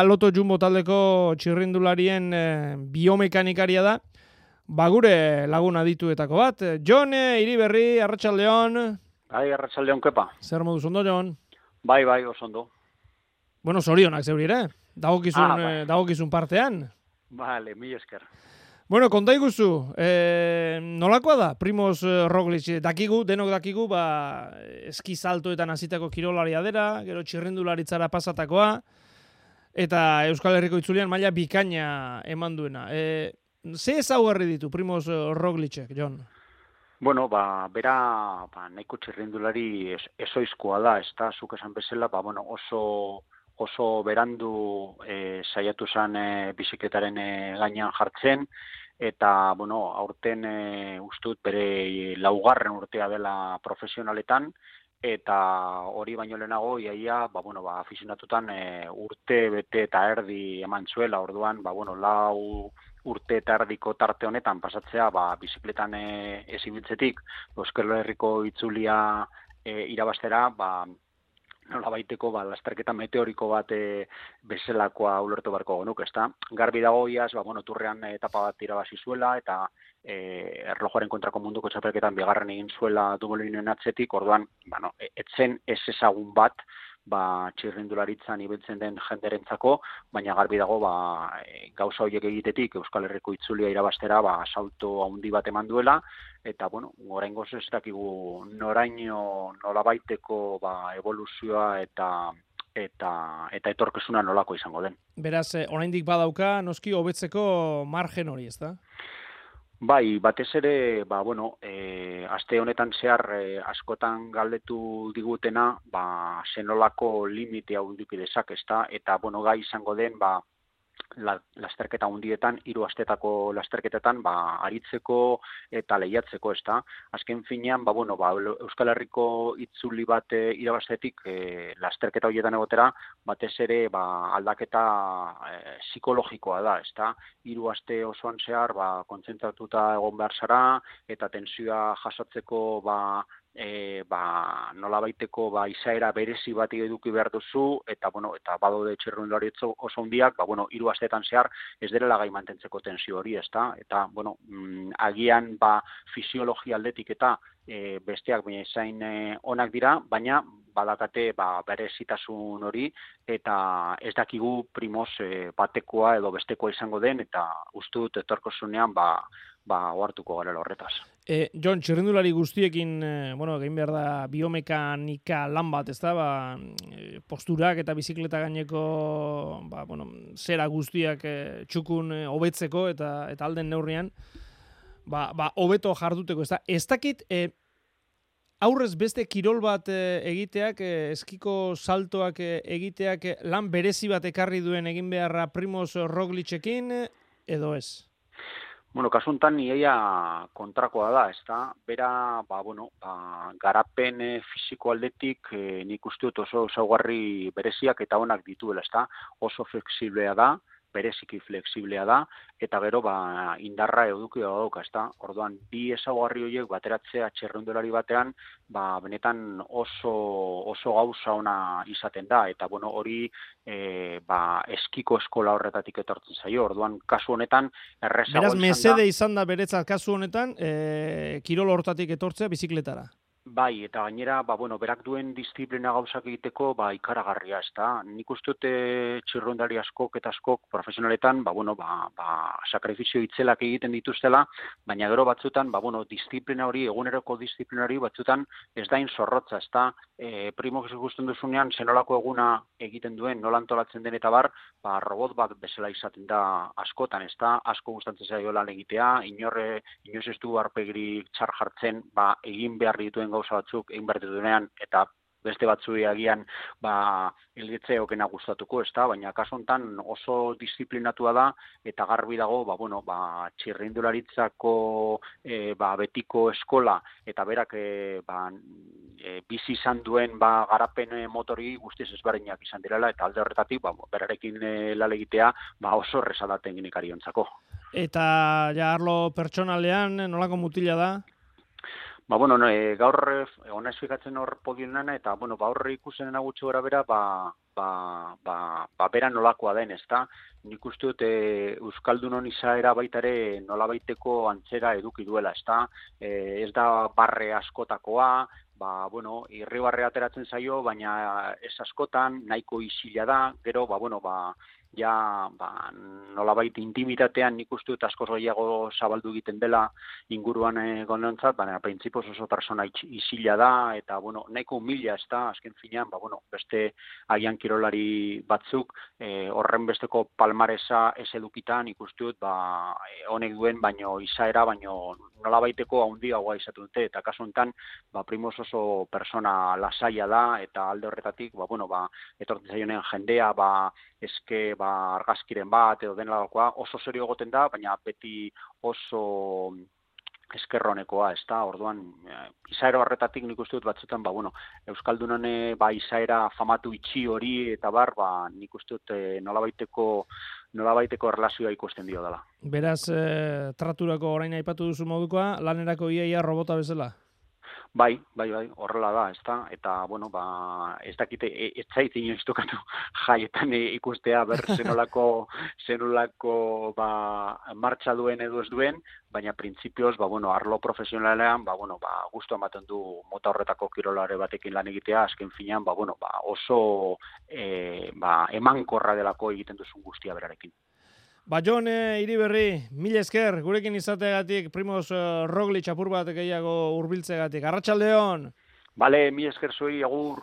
Loto Jumbo taldeko txirrindularien biomekanikaria da, gure lagun adituetako bat. Jon Iriberri, arratsaldeon. Bai, arratsaldeon, kepa. Zer moduz ondo, Jon? Bai, oso ondo. Bueno, zorionak zeuri ere, dagokizun partean. Vale, mil esker. Bueno, konta iguzu, nolakoa da, Primoz Roglic, denok dakigu, eski saltoetan hasitako kirolaria dela, gero txirrindularitzara pasatakoa, eta Euskal Herriko itzulian maila bikaina eman duena. Ze ezaugarri ditu Primoz Roglicek, Jon? Bueno, bera nahiko txirrindulari ezoizkoa da, ez da, zuk esan bezala, oso berandu saiatu zen bizikletaren gainean jartzen, eta, aurten ustut bere laugarren urtea dela profesionaletan, eta hori baino lehenago, iaia, afizionatutan urte bete eta erdi eman zuela, orduan, lau urte eta erdiko tarte honetan pasatzea, bizikletan ez ibiltzetik, Euskal Herriko itzulia irabaztera, nolabaiteko lasterketa meteoriko bat bezalakoa ulertu beharko genuke, ezta? Garbi dago iaz, turrean etapa bat irabazi zuela eta erlojuaren kontrako munduko txapelketan bigarren egin zuela Dumoulinen atzetik, orduan, etzen ez ezagun bat, txirrindularitzan ibiltzen den jenderentzako, baina garbi dago gauza horiek egitetik Euskal Herriko itzulia irabaztera salto handi bat eman duela, eta oraingoz ez dakigu noraino nolabaiteko eboluzioa eta etorkizuna nolako izango den. Beraz, oraindik badauka noski hobetzeko margen hori, ezta? Bai, batez ere, aste honetan zehar askotan galdetu digutena, zenolako limite hau eduki dezake, ezta? Eta, gai izango den, lasterketa hundietan, 3 astetako lasterketetan, aritzeko eta lehiatzeko, ezta? Azken finean, Euskal Herriko itzuli bat irabaztetik lasterketa horietan egotera, batez ere, aldaketa psikologikoa da, ezta? 3 aste osoan zehar, kontzentratuta egon behar zara, eta tensioa jasotzeko, nolabaiteko izaera berezi bat eduki behar duzu, eta badaude txirrindulari oso hundiak, 3 astetan zehar ez direla gai mantentzeko tensio hori, ezta? Eta, agian fisiologia aldetik eta besteak zain onak dira, baina badakate berezitasun hori, eta ez dakigu Primoz batekoa edo bestekoa izango den, eta uste dut etorkizunean ohartuko garela horretaz. Jon, txirrindulari guztiekin, egin behar da biomekanika lan bat, ez da, posturak eta bizikleta gaineko, zera guztiak txukun hobetzeko eta alden neurrian, hobeto jarduteko, ez da. Ez dakit, aurrez beste kirol bat egiteak, eskiko saltoak egiteak lan berezi bat ekarri duen egin beharra Primoz Roglicekin, edo ez? Kasu honetan iaia kontrakoa da, ezta? Bera, garapen fisiko aldetik nik uste dut oso ezaugarri bereziak eta onak dituela, ezta? Oso flexiblea da, bereziki flexiblea da, eta gero indarra eduki dauka, ezta? Orduan, bi ezaugarri horiek bateratzea txirrindulari batean, benetan oso gauza ona izaten da, eta hori eskiko eskola horretatik etortzen zaio. Orduan, kasu honetan errezago Beraz, mesede izan da beretzat kasu honetan, kirol hortatik etortzea bizikletara. Bai, eta gainera, berak duen disiplina gauzak egiteko, ikaragarria, ezta? Nik uste dut txirrindulari askok eta askok profesionaletan, sakrifizio itzelak egiten dituztela, baina gero batzutan, disiplina hori, eguneroko disiplina hori, batzutan ez dain zorrotza, ezta? Primoz ikusten duzunean, zenolako eguna egiten duen, nola antolatzen den eta robot bat bezala izaten da askotan, ezta? Asko gustatzen zaio lan egitea, inoiz ez du aurpegirik txar jartzen, egin behar dituen gauza batzuk egin behar dituenean, eta beste batzui agian hilgetze okena gustatuko, ezta? Baina kasu honetan oso disiplinatua da, eta garbi dago, txirrindularitzako betiko eskola, eta berak bizi izan duen garapen motori guztiz ezberdinak izan direla, eta alde horretatik berarekin lan egitea oso erraza da teknikariontzako. Eta arlo pertsonalean nolako mutila da? Ba, bueno, no, gaur ona esfikatzen hor podionana, eta, bueno, ba, hor ikusen gutxi gora bera, bera nolakoa den, ezta? Nik uste dut Euskaldunon izaera baitare nolabaiteko antzera eduki duela, ezta? Ez da barre askotakoa, bueno, irribarre ateratzen zaio, baina ez askotan, nahiko isila da, gero, nolabait intimitatean nik uste dut askoz gehiago zabaldu egiten dela inguruan gondontzat, baina printzipioz oso persona isila da, eta, bueno, nahiko humila ez da, azken finean, beste agian kirolari batzuk, horren besteko palmaresa ez edukitan ikuste dut, honek duen, baino izaera, baino nolabaiteko handiagoa izatu dute, eta kasu honetan, Primoz oso persona lasaia da, eta alde horretatik, etortzen zaionean jendea, eske, argazkiren bat, edo denelakoa, oso serio egoten da, baina beti oso eskerronekoa, ez da, orduan, izaera horretatik nik uste dut batzutan, Euskaldunon izaera famatu itxi hori, eta nik uste dut nolabaiteko erlazioa ikusten dio dela. Beraz, traturako orain aipatu duzu modukoa, lanerako iaia robota bezala? Bai, horrela da, ezta? Eta, ez dakite, ez zait inoiz tokatu jaietan ikustea zenolako martxa duen edo ez duen, baina printzipioz, arlo profesionalean, gustu ematen du mota horretako kirolare batekin lan egitea, azken finean, oso emankorra delako egiten duzun guztia berarekin. Jon Iriberri, mila esker, gurekin izateagatik, Primoz Roglic apur bat gehiago hurbiltzegatik. Arratsaldeon! Bale, mila esker zuei, agur!